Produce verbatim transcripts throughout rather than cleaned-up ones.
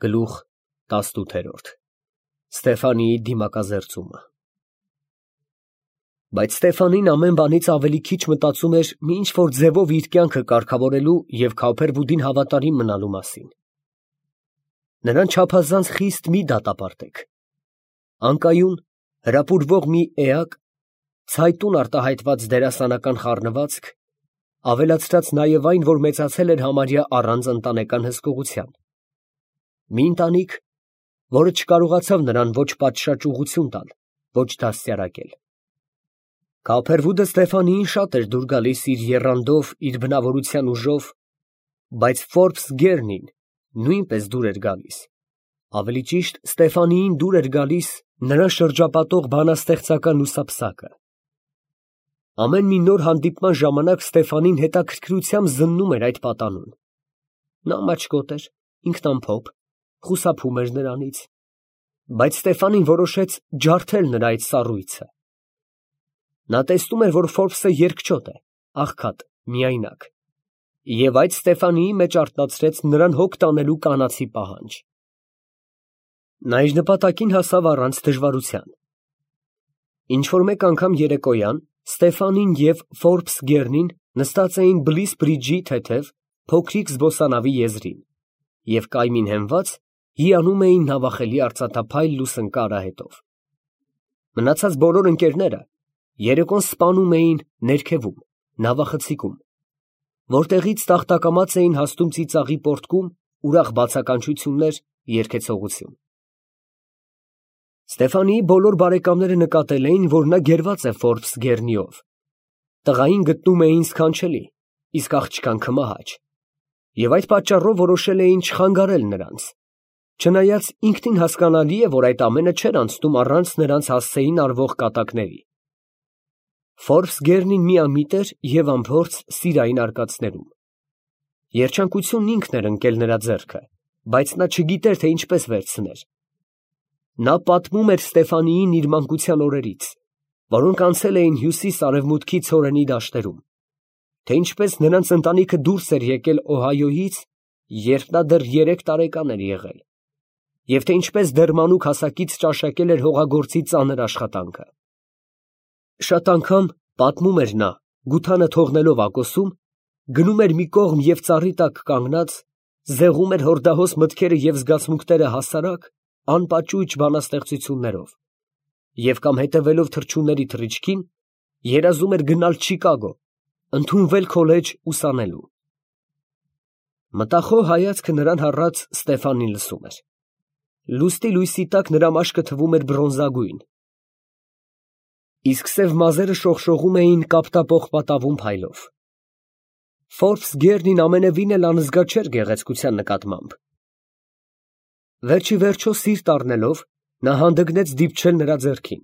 Գլուխ տասնութ Ստեֆանիի դիմակազերծումը Բայց Ստեֆանին ամեն բանից ավելի քիչ մտածում էր մի ինչ-որ ձևով իր կյանքը կարգավորելու և Քավփերվուդին հավատարիմ մնալու մասին։ Նրան չափազանց խիստ մի դատապարտեք։ Անկայուն, հրապուրվող մի էակ, ցայտուն արտահայտված դերասանական խառնվածք, ավելացրած նաև այն, որ մեծացել էր համարյա առանց ընտանեկան հսկողության։ Մի ընտանիք, որը չկարողացավ նրան ոչ պատշաճ ուղղություն տալ, ոչ դաստիարակել։ Քավփերվուդը Ստեֆանիին շատ էր դուր գալիս իր եռանդով, իր բնավորության ուժով, բայց Ֆորբս գերնին նույնպես դուր էր գալիս, ավելի ճիշտ Ստեֆանիին դուր էր գալիս նրան շրջապատող բանաստեղծական լուսափսակը։ Ամեն մի նոր հանդիպման ժամանակ Ստեֆանին հետաքրքրությամբ զննում էր այդ պատանուն։ Նա մաչկոտ էր, ինքնամփոփ, խուսափում էր նրանից, բայց Ստեֆանին որոշեց ջարդել նրա այդ սառույցը։ Նա տեսնում էր, որ Ֆորբսը երկչոտ է, աղքատ, միայնակ, և այդ Ստեֆանիի մեջ արթնացրեց նրան հոգ տանելու կանացի պահանջ։ Նա իր նպատակին հասավ առանց դժվարության։ Ինչ֊որ մեկ անգամ երեկոյան Ստեֆանին և Ֆորբս գերնին նստած էին Բլիս բրիջի թեթև, փոքրիկ զբոսանավի եզրին և կայմին հենված հիանում էին նավախելի արծաթափայլ լուսնկա արահետով։ Մնացած բոլոր ընկերները երեկոն սպանում էին ներքևում, նավախցիկում, որտեղից տախտակամաց էին հասնում ծիծաղի պոռթկում, ուրախ բացականչություններ, երգեցողություն։ Ստեֆանիի բոլոր բարեկամները նկատել էին, որ նա գերված է Ֆորբս գերնիով, տղային գտնում էին սքանչելի, իսկ աղջկան քմահաճ, և այդ պատճառով որոշել էին չխանգարել նրանց, չնայած ինքնին հասկանալի է, որ այդ ամենը չէր անցնում առանց նրանց հասցեին արվող կատակների։ Ֆորբս գերնին միամիտ էր և անփորձ սիրային արկածներում։ Երջանկությունն ինքն էր ընկել նրա ձեռքը, բայց նա չգիտեր, թե ինչպես վերցներ։ Նա պատմում էր Ստեֆանիին իր մանկության օրերից, որոնք անցել էին հյուսիս֊արևմուտքի ցորենի դաշտերում, թե ինչպես նրանց ընտանիքը դուրս էր եկել Օհայոյից, երբ նա դեռ երեք տարեկան էր եղել, և թե ինչպես դեռ մանուկ հասակից ճաշակել էր հողագործի ծանր աշխատանքը։ Շատ անգամ, պատմում էր նա, գութանը թողնելով ակոսում, գնում էր մի կողմ և ծառի տակ կանգնած, զեղում էր հորդահոս մտքերը և զգացմունքները հասարակ, անպաճույճ բանաստեղծություններով, և կամ հետևելով թռչունների թռիչքին, երազում էր գնալ Չիկագո, ընդունվել քոլեջ ուսանելու։ Մտախոհ հայացքը նրան հառած Ստեֆանին լսում էր։ Լուստի լույսի տակ նրա մաշկը թվում էր բրոնզագույն, իսկ սև մազերը շողշողում էին կապտապող պատավուն փայլով։ Ֆորբս գերնին ամենևին էլ անզգա չէր գեղեցկության նկատմամբ։ Վերջիվերջո սիրտ առնելով, նա հանդգնեց դիպչել նրա ձեռքին,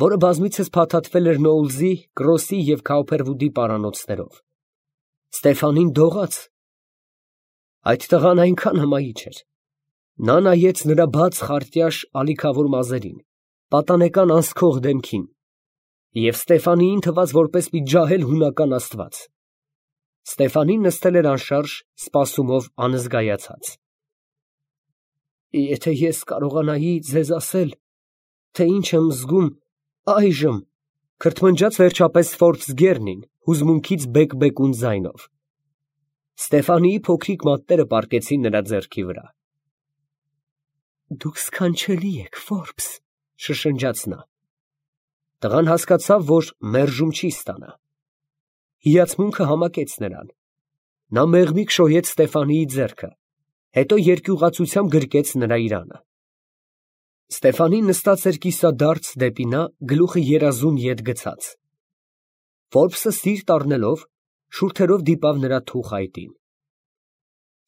որը բազմիցս փաթաթվել էր Նոուլզի, Կրոսի և Քավփերվուդի պարանոցներով։ Ստեֆանին դողաց։ Այդ տղան այնքան հմայիչ էր։ Նա նայեց նրա բաց, խարտյաշ, ալիքավոր մազերին, պատանեկան անսքող դեմքին, և Ստեֆանիին թվաց որպես մի ջահել հունական աստված։ Ստեֆանին նստել էր անշարժ, սպասումով անզգայացած։ Եթե ես կարողանայի ձեզ ասել, թե ինչ եմ զգում այժմ, քրթմնջաց վերջապես Ֆորբս գերնին, հուզմունքից բեկ֊բեկուն ձայնով։ Ստեֆանիի փոքրիկ մատները պառկեցին նրա ձեռքի վրա։ Դուք սքանչելի եք, Ֆորբս, շշնջաց նա։ Տղան հասկացավ, որ մերժում չի ստանա։ Հիացմունքը համակեց նրան։ Նա մեղմիկ շոյեց Ստեֆանիի ձեռքը, հետո երկյուղացությամբ գրկեց նրա իրանը։ Ստեֆանին նստած էր կիսադարձ դեպի նա, գլուխը երազուն ետ գցած։ Ֆորբսը սիրտ առնելով, շուրթերով դիպավ նրա թուխ այտին։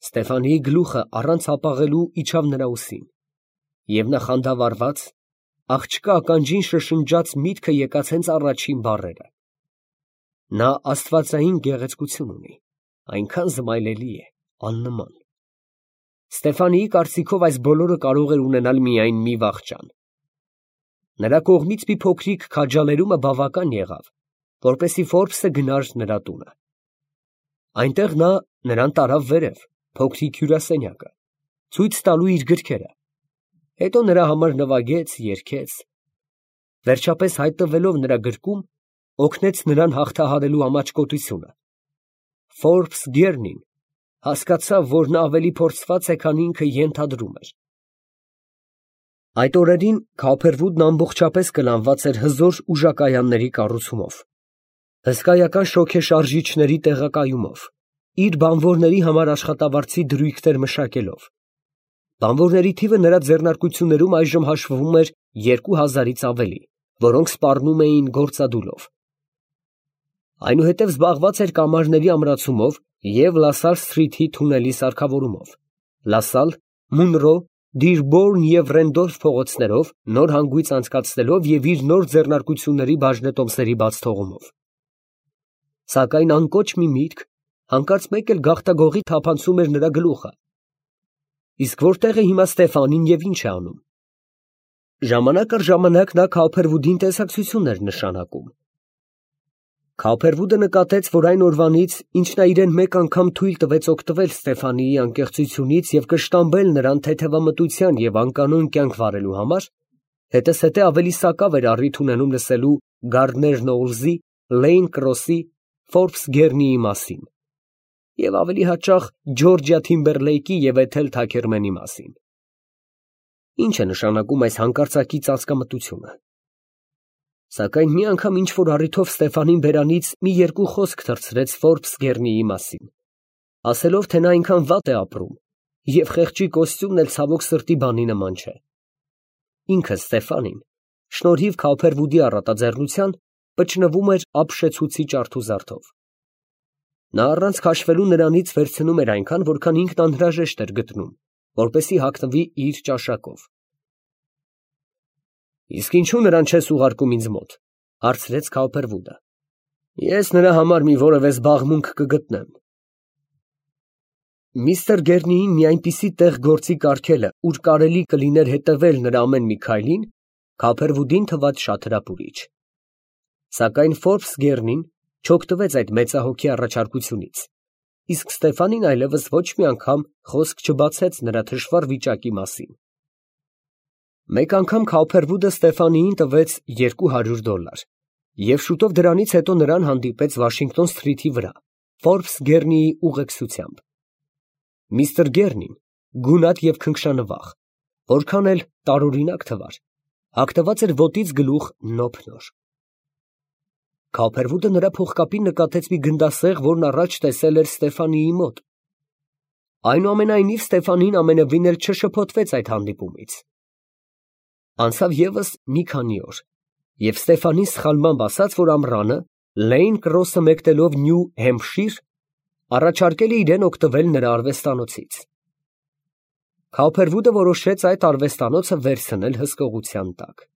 Ստեֆանիի գլուխը առանց հապաղելու իջավ նրա ուսին, և նա խանդավառված, աղջկա ականջին շշնջաց միտքը եկած հենց առաջին բառերը. նա աստվածային գեղեցկություն ունի, այնքան զմայլելի է, աննման։ Ստեֆանիի կարծիքով այս բոլորը կարող էր ունենալ միայն մի վախճան։ Նրա կողմից մի փոքրիկ քաջալերումը բավական եղավ, որպեսզի Ֆորբսը գնար նրա տունը։ Այնտեղ նա նրան տարավ վերև, փոքրիկ հյուրասենյակը, ցույց տալու իր գրքերը, հետո նրա համար նվագեց, երգեց, վերջապես հայտնվելով նրա գրկում, օգնեց նրան հաղթահարելու ամաչկոտությունը։ Ֆորբս Գերնին հասկացավ, որ նա ավելի փորձված է, քան ինքը ենթադրում էր։ Այդ օրերին Քոփերվուդն ամբողջապես կլանված էր հզոր ուժակայանների կառուցումով, հսկայական շոգեշարժիչների տեղակայումով, իր բանվորների համար աշխատավարձի դրույքներ մշակելով։ Բանվորների թիվը նրա ձեռնարկություններում այժմ հաշվվում էր երկու հազարից ավելի, որոնք սպառնում էին գործադուլով։ Այնուհետև զբաղված էր կամարների ամրացումով և Լասալ Սթրիթի թունելի սարքավորումով, Լասալ, Մունրո, Դիրբորն և Ռենդոլֆ փողոցներով նոր հանգույց անցկացնելով և իր նոր ձեռնարկությունների բաժնետոմսերի բաց թողումով։ Սակայն անկոչ մի միտք հանկարծ մեկ էլ գաղտագողի թափանցում էր նրա գլուխը։ Իսկ որտե՞ղ է հիմա Ստեֆանին և ի՞նչ է անում։ Ժամանակ առ ժամանակ նա Քոփերվուդին տեսակցություն էր նշանակում։ Քոփերվուդը նկատեց, որ այն օրվանից, ինչ նա իրեն մեկ անգամ թույլ տվեց օգտվել Ստեֆանիի անկեղծությունից և կշտամբել նրան թեթևամտության և անկանոն կյանք վարելու համար, հետզհետե ավելի սակավ էր առիթ ունենում լսելու Գարդներ Նոուլզի, Լեյն Կրոսի, Ֆորբս Գերնիի մասին և ավելի հաճախ Ջորջիա Թիմբերլեյքի և Էթել Թաքերմենի մասին։ Ի՞նչ է նշանակում այս հանկարծակի ծածկամտությունը։ Սակայն մի անգամ ինչ֊որ առիթով Ստեֆանին բերանից մի երկու խոսք թռցրեց Ֆորբս Գերնիի մասին, ասելով, թե նա այնքան վատ է ապրում, և խեղճի կոստյումն էլ ցավոք սրտի բանի նման չէ։ Ինքը Ստեֆանին, շնորհիվ Քոփերվուդի առատաձեռնության, պճնվում էր ապշեցուցիչ արթուզարդով։ Նա առանց քաշվելու նրանից վերցնում էր այնքան, որքան ինքն անհրաժեշտ էր գտնում, որպեսզի հագնվի իր ճաշակով։ Իսկ ինչո՞ւ նրան չես ուղարկում ինձ մոտ, ֊ հարցրեց Քոփերվուդը։ Ես նրա համար մի որևէ զբաղմունք կգտնեմ։ Միստր Գերնիին մի այնպիսի տեղ գործի կարգելը, ուր կարելի կլիներ հետևել նրա ամեն մի քայլին, Քոփերվուդին թվաց շատ հրապուրիչ։ Սակայն Ֆորբս Գերնին չօգտվեց այդ մեծահոգի առաջարկությունից, իսկ Ստեֆանին այլևս ոչ մի անգամ խոսք չբացեց նրա թշվառ վիճակի մասին։ Մեկ անգամ Քոփերվուդը Ստեֆանիին տվեց երկու հարյուր դոլար, և շուտով դրանից հետո նրան հանդիպեց Վաշինգտոն Սթրիթի վրա, Ֆորբս Գերնիի ուղեկցությամբ։ Միստր Գերնին, գունատ և քնքշանվախ, որքան էլ տարօրինակ թվար, հագնված էր ոտից գլուխ նոփնոր։ Քոփերվուդը նրա փողկապին նկատեց մի գնդասեղ, որն առաջ տեսել էր Ստեֆանիի մոտ։ Այնուամենայնիվ Ստեֆանին ամենևին էլ չշփոթվեց այդ հանդիպումից։ Անցավ ևս մի քանի օր, և Ստեֆանին սխալմամբ ասաց, որ ամռանը, Լեյն Կրոսը մեկնելով Նյու Հեմփշիր, առաջարկել է իրան օգտվել նրա արվեստանոցից։ Քոփերվուդը որոշեց այդ արվեստանոցը վերցնել հսկողության տակ։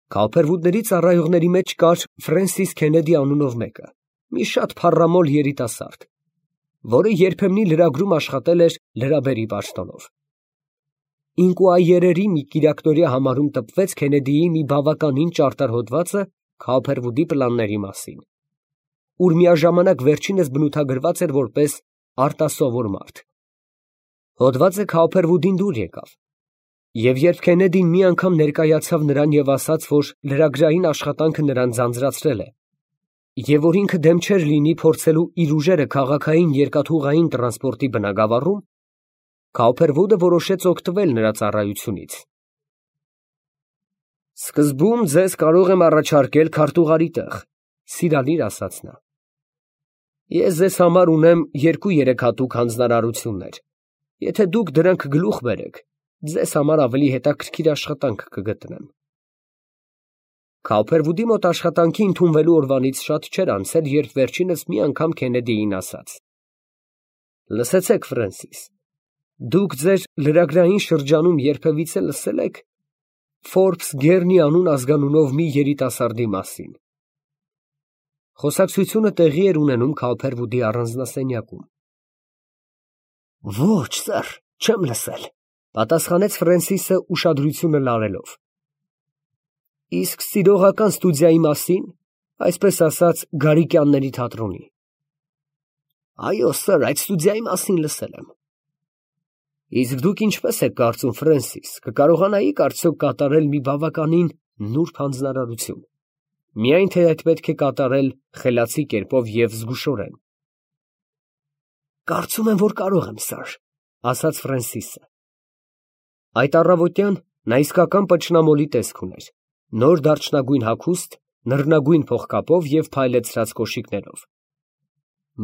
Քոփերվուդների ծառայողների մեջ կար Ֆրենսիս Քենեդի անունով մեկը, մի շատ փառամոլ երիտասարդ, որը երբեմնի լրագրում աշխատել էր լրաբերի պաշտոնով։ Ինկուայերերի մի կիրակտորյա համարում տպվեց Քենեդիի մի բավականին ճարտար հոդվածը Քոփերվուդի պլանների մասին, ուր միաժամանակ վերջինս բնութագրված էր որպես արտասովոր մարդ։ Հոդվածը Քոփերվուդին դուր եկավ, և երբ Քենեդին մի անգամ ներկայացավ նրան և ասաց, որ լրագրային աշխատանքը նրան ձանձրացրել է, և որ ինքը դեմ չէր լինի փորձելու իր ուժերը քաղաքային երկաթուղային տրանսպորտի բնագավառում, Քոփերվուդը որոշեց օգտվել նրա ծառայությունից։ Սկզբում ձեզ կարող եմ առաջարկել քարտուղարի տեղ, ֊ սիրալիր ասաց նա։ Ես ձեզ համար ունեմ երկու֊երեք հատուկ հանձնարարություններ. եթե դուք դրանք գլուխ բերեք, ձեզ համար ավելի հետաքրքիր աշխատանք կգտնեմ։ Քոփերվուդի մոտ աշխատանքի ընդունվելու օրվանից շատ չէր անցել, երբ վերջինս մի անգամ Քենեդիին ասաց. Լսեցեք, Ֆրենսիս, դուք ձեր լրագրային շրջանում երբևիցե լսե՞լ եք Ֆորբս Գերնի անուն ազգանունով մի երիտասարդի մասին։ Խոսակցությունը տեղի էր ունենում Քոփերվուդի առանձնասենյակում։ Ոչ, սըր, չեմ լսել, ֊ պատասխանեց Ֆրենսիսը ուշադրությունը լարելով։ Իսկ սիրողական ստուդիայի մասին, այսպես ասած, Գարիկյանների թատրոնի։ Այո, սըր, այդ ստուդիայի մասին լսել եմ։ Իսկ դուք ինչպես եք կարծում, Ֆրենսիս, կկարողանայիք արդյոք կատարել մի բավականին նուրբ հանձնարարություն, միայն թե այդ պետք է կատարել խելացի կերպով և զգուշորեն։ Կարծում եմ, որ կարող եմ, սար, ասաց Ֆրենսիսը։ Այդ առավոտյան նա իսկական պճնամոլի տեսք ուներ, նոր դարչնագույն հագուստ, նռնագույն փողկապով և փայլեցրած կոշիկներով։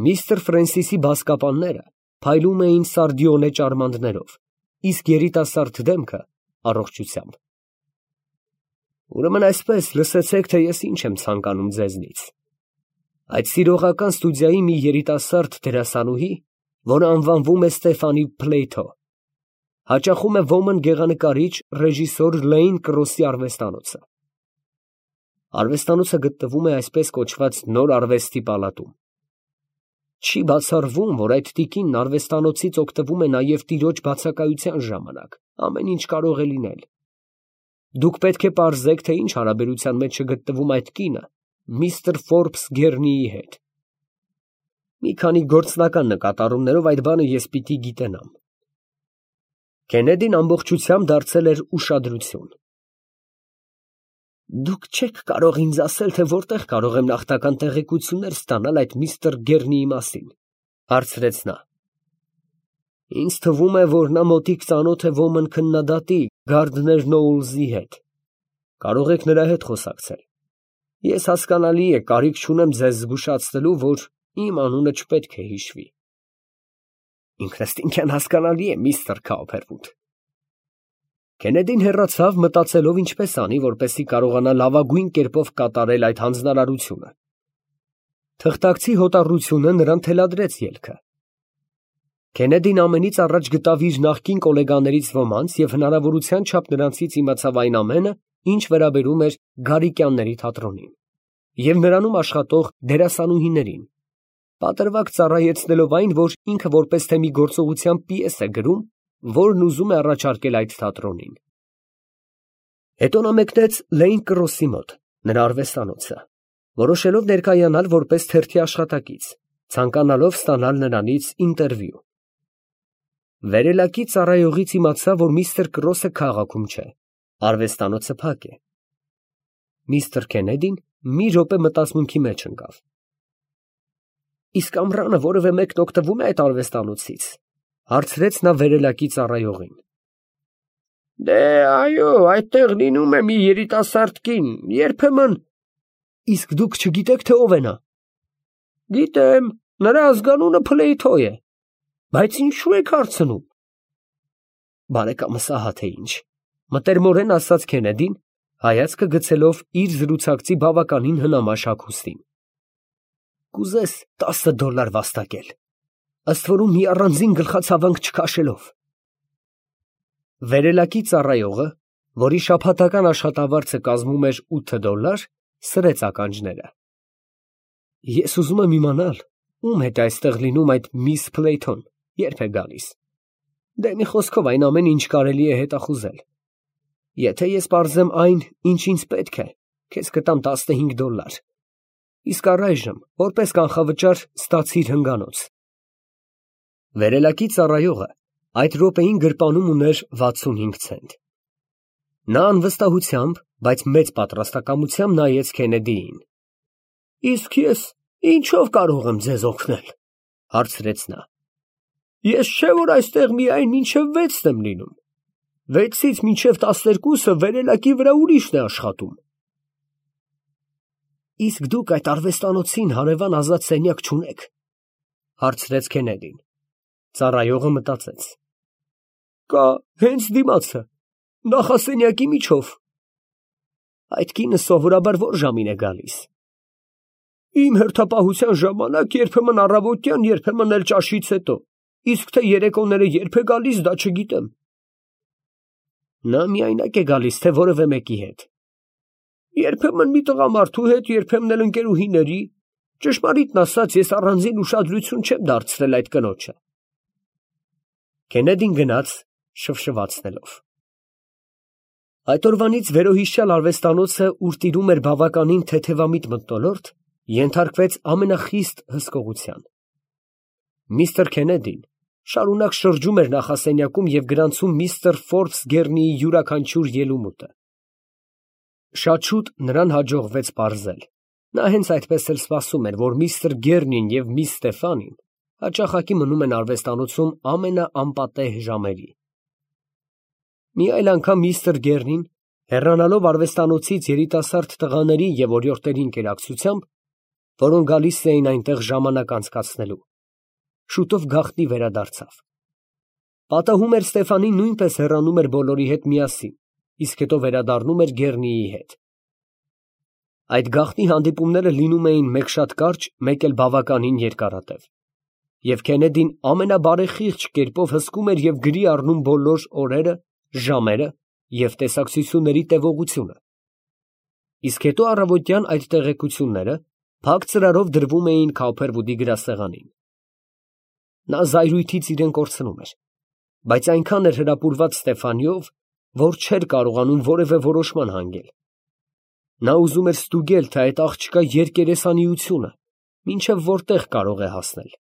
Միստր Ֆրենսիսի բազկապանները փայլում էին սարդիոնե ճարմաններով, իսկ երիտասարդ դեմքը առողջությամբ։ Ուրեմն այսպես, լսեցեք, թե ես ինչ եմ ցանկանում ձեզնից։ Այդ սիրողական ստուդիայի մի երիտասարդ դերասանուհի, որը անվանվում է Ստեֆանի Փլեյթո, հաճախում է ոմն գեղանկարիչ ռեժիսոր Լեյն Կրոսի արվեստանոցը։ Արվեստանոցը գտնվում է այսպես կոչված նոր արվեստի պալատում։ Չի բացառվում, որ այդ տիկինն արվեստանոցից օգտվում է նաև տիրոջ բացակայության ժամանակ, ամեն ինչ կարող է լինել։ Դուք պետք է պարզեք, թե ինչ հարաբերության մեջ է գտնվում այդ կինը միստր Ֆորբս Գեռնիի հետ։ Մի քանի գործնական նկատառումներով այդ բանը ես պիտի գիտենամ։ Քենեդին ամբողջությամբ դարձել էր ուշադրություն։ Դուք չեք կարող ինձ ասել, թե որտեղ կարող եմ նախնական տեղեկություններ ստանալ այդ միստր Գեռնիի մասին, հարցրեց նա։ Ինձ թվում է, որ նա մոտիկ ծանոթ է ոմն քննադատի Գարդներ Նոուլզի հետ։ Կարող եք նրա հետ խոսակցել։ Ես հասկանալի է, կարիք չունեմ ձեզ զգուշացնելու, որ իմ անունը չպետք է հիշվի։ Ինքնըստինքյան հասկանալի է, միստր Քաուփերվուդ։ Քենեդին հեռացավ, մտածելով ինչպես անի, որպեսզի կարողանա լավագույն կերպով կատարել այդ հանձնարարությունը։ Թղթակցի հոտառությունը նրան թելադրեց ելքը։ Քենեդին ամենից առաջ գտավ իր նախկին գոլեգաներից ոմանց և հնարավորության չափ նրանցից իմացավ այն ամենը, ինչ վերաբերում էր Գարիկյանների թատրոնին և նրանում աշխատող դերասանուհիներին, պատրվակ ծառայեցնելով այն, որ ինքը որպես թե մի գործողության պիես է գրում, որն ուզում է առաջարկել այդ թատրոնին։ Հետո նա մեկնեց Լեյն Կրոսի մոտ, նրա արվեստանոցը, որոշելով ներկայանալ որպես թերթի աշխատակից, ցանկանալով ստանալ նրանից ինտերվյու։ Վերելակի ծառայողից իմացա, որ միստր Կրոսը քաղաքում չէ, արվեստանոցը փակ է։ Միստր Քենեդին մի րոպե մտածմունքի մեջ ընկավ։ Իսկ ամռանը որևէ մեկն օգտվում է այդ արվեստանոցից, հարցրեց նա վերելակի ծառայողին։ Դե այո, այդտեղ լինում է մի երիտասարդ կին, երբեմն։ Իսկ դուք չգիտեք, թե ով է նա։ Գիտեմ, նրա ազգանունը Փլեյթո է, բայց ինչու եք հարցնում։ Բարեկամս ահա թե ինչ, մտերմորեն ասաց Քենեդին, հայացքը գցելով իր զրուցակցի բավականին հնամաշ հագուստին։ Կուզես տասը դոլար վաստակել, ըստ որում մի առանձին գլխացավանք չքաշելով։ Վերելակի ծառայողը, որի շաբաթական աշխատավարձը կազմում էր ութ դոլար, սրեց ականջները։ Ես ուզում եմ իմանալ, ում հետ է այստեղ լինում այդ միս Փլեյթոն, երբ է գալիս։ Դե մի խոսքով այն ամեն ինչ կարելի է հետախուզել։ Եթե ես պարզեմ այն, ինչ ինձ պետք է, քեզ կտամ տասնհինգ դոլար։ Իսկ առայժմ, որպես կանխավճար, ստացիր հնգանոց։ Վերելակի ծառայողը այդ րոպեին գրպանում ուներ վաթսունհինգ ցենտ։ Նա անվստահությամբ, բայց մեծ պատրաստակամությամբ նայեց Քենեդիին։ Իսկ ես ինչով կարող եմ ձեզ օգնել, հարցրեց նա։ Ես չէ որ այստեղ միայն մինչև վեցն եմ լինում, վեցից մինչև տասներկուսը վերելակի վրա ուրիշն է աշխատում։ Իսկ դուք այդ արվեստանոցին հարևան ազատ սենյակ չունեք, հարցրեց Քենեդին։ Ծառայողը մտածեց։ Կա, հենց դիմացը, նախասենյակի միջով։ Այդ կինը սովորաբար որ ժամին է գալիս։ Իմ հերթապահության ժամանակ երբեմն առավոտյան, երբեմն էլ ճաշից հետո, իսկ թե երեկոները երբ է գալիս, դա չգիտեմ։ Նա միայնակ է գալիս, թե որևէ մեկի հետ։ Երբեմն մի տղամարդու հետ, երբեմն էլ ընկերուհիների, ճշմարիտն ասած, ես առանձին ուշադրություն չեմ դարձրել այդ կնոջը։ Քենեդին գնաց շվշվացնելով։ Այդ օրվանից վերոհիշյալ արվեստանոցը, ուր տիրում էր բավականին թեթևամիտ մթնոլորտ, ենթարկվեց ամենախիստ հսկողության։ Միստր Քենեդին շարունակ շրջում էր նախասենյակում և գրանցում միստր Ֆորբս Գեռնիի յուրաքանչյուր ելումուտը։ Շատ շուտ նրան հաջողվեց պարզել. նա հենց այդպես էլ սպասում էր, որ միստր Գեռնին և միս Ստեֆանին հաճախակի մնում են արվեստանոցում ամենաանպատեհ ժամերի։ Մի այլ անգամ միստր Գեռնին, հեռանալով արվեստանոցից երիտասարդ տղաների և օրիորդների ընկերակցությամբ, որոնք գալիս էին այնտեղ ժամանակ անցկացնելու, շուտով գաղտնի վերադարձավ։ Պատահում էր Ստեֆանին նույնպես հեռանում էր բոլորի հետ միասին, իսկ հետո վերադառնում էր Գեռնիի հետ։ Այդ գաղտնի հանդիպումները լինում էին մեկ շատ կարճ, մեկ էլ բավականին երկարատև, և Քենեդին ամենաբարեխիղճ կերպով հսկում էր և գրի առնում բոլոր օրերը, ժամերը և տեսակցությունների տևողությունը, իսկ հետո առավոտյան այդ տեղեկությունները փակ ծրարով դրվում էին Քաուփերվուդի գրասեղանին։ Նա զայրույթից իրեն կորցնում էր, բայց այնքան էր հրապուրված Ստեֆանիով, որ չէր կարողանում որևէ որոշման հանգել։ Նա ուզում էր ստուգել, թե այդ աղջկա երկերեսանիությունը մինչև որտեղ կարող է հասնել։